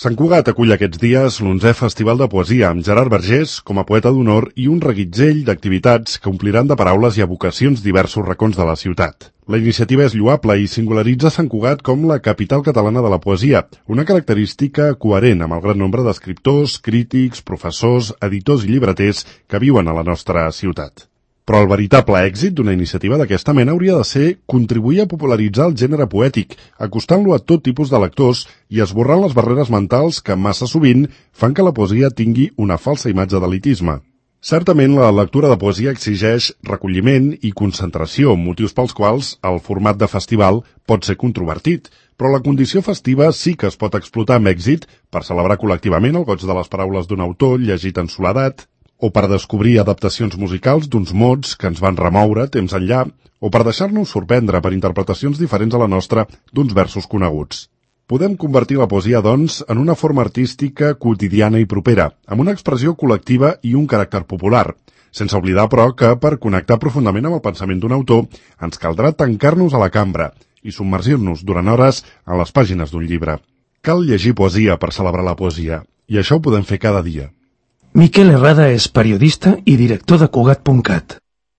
Sant Cugat acull aquests dies l'11è Festival de Poesia amb Gerard Vergés com a poeta d'honor i un reguitzell d'activitats que ompliran de paraules i evocacions diversos racons de la ciutat. La iniciativa és lloable i singularitza Sant Cugat com la capital catalana de la poesia, una característica coherent amb el gran nombre d'escriptors, crítics, professors, editors i llibreters que viuen a la nostra ciutat. Però el veritable èxit d'una iniciativa d'aquesta mena hauria de ser contribuir a popularitzar el gènere poètic, acostant-lo a tot tipus de lectors i esborrant les barreres mentals que massa sovint fan que la poesia tingui una falsa imatge d'elitisme. Certament, la lectura de poesia exigeix recolliment i concentració, motius pels quals el format de festival pot ser controvertit, però la condició festiva sí que es pot explotar amb èxit per celebrar col·lectivament el goig de les paraules d'un autor llegit en soledat, o per descobrir adaptacions musicals d'uns mots que ens van remoure temps enllà, o per deixar-nos sorprendre per interpretacions diferents a la nostra d'uns versos coneguts. Podem convertir la poesia, doncs, en una forma artística quotidiana i propera, amb una expressió col·lectiva i un caràcter popular, sense oblidar, però, que per connectar profundament amb el pensament d'un autor ens caldrà tancar-nos a la cambra i submergir-nos durant hores en les pàgines d'un llibre. Cal llegir poesia per celebrar la poesia, i això ho podem fer cada dia. Miquel Herrada és periodista i director de Cugat.cat.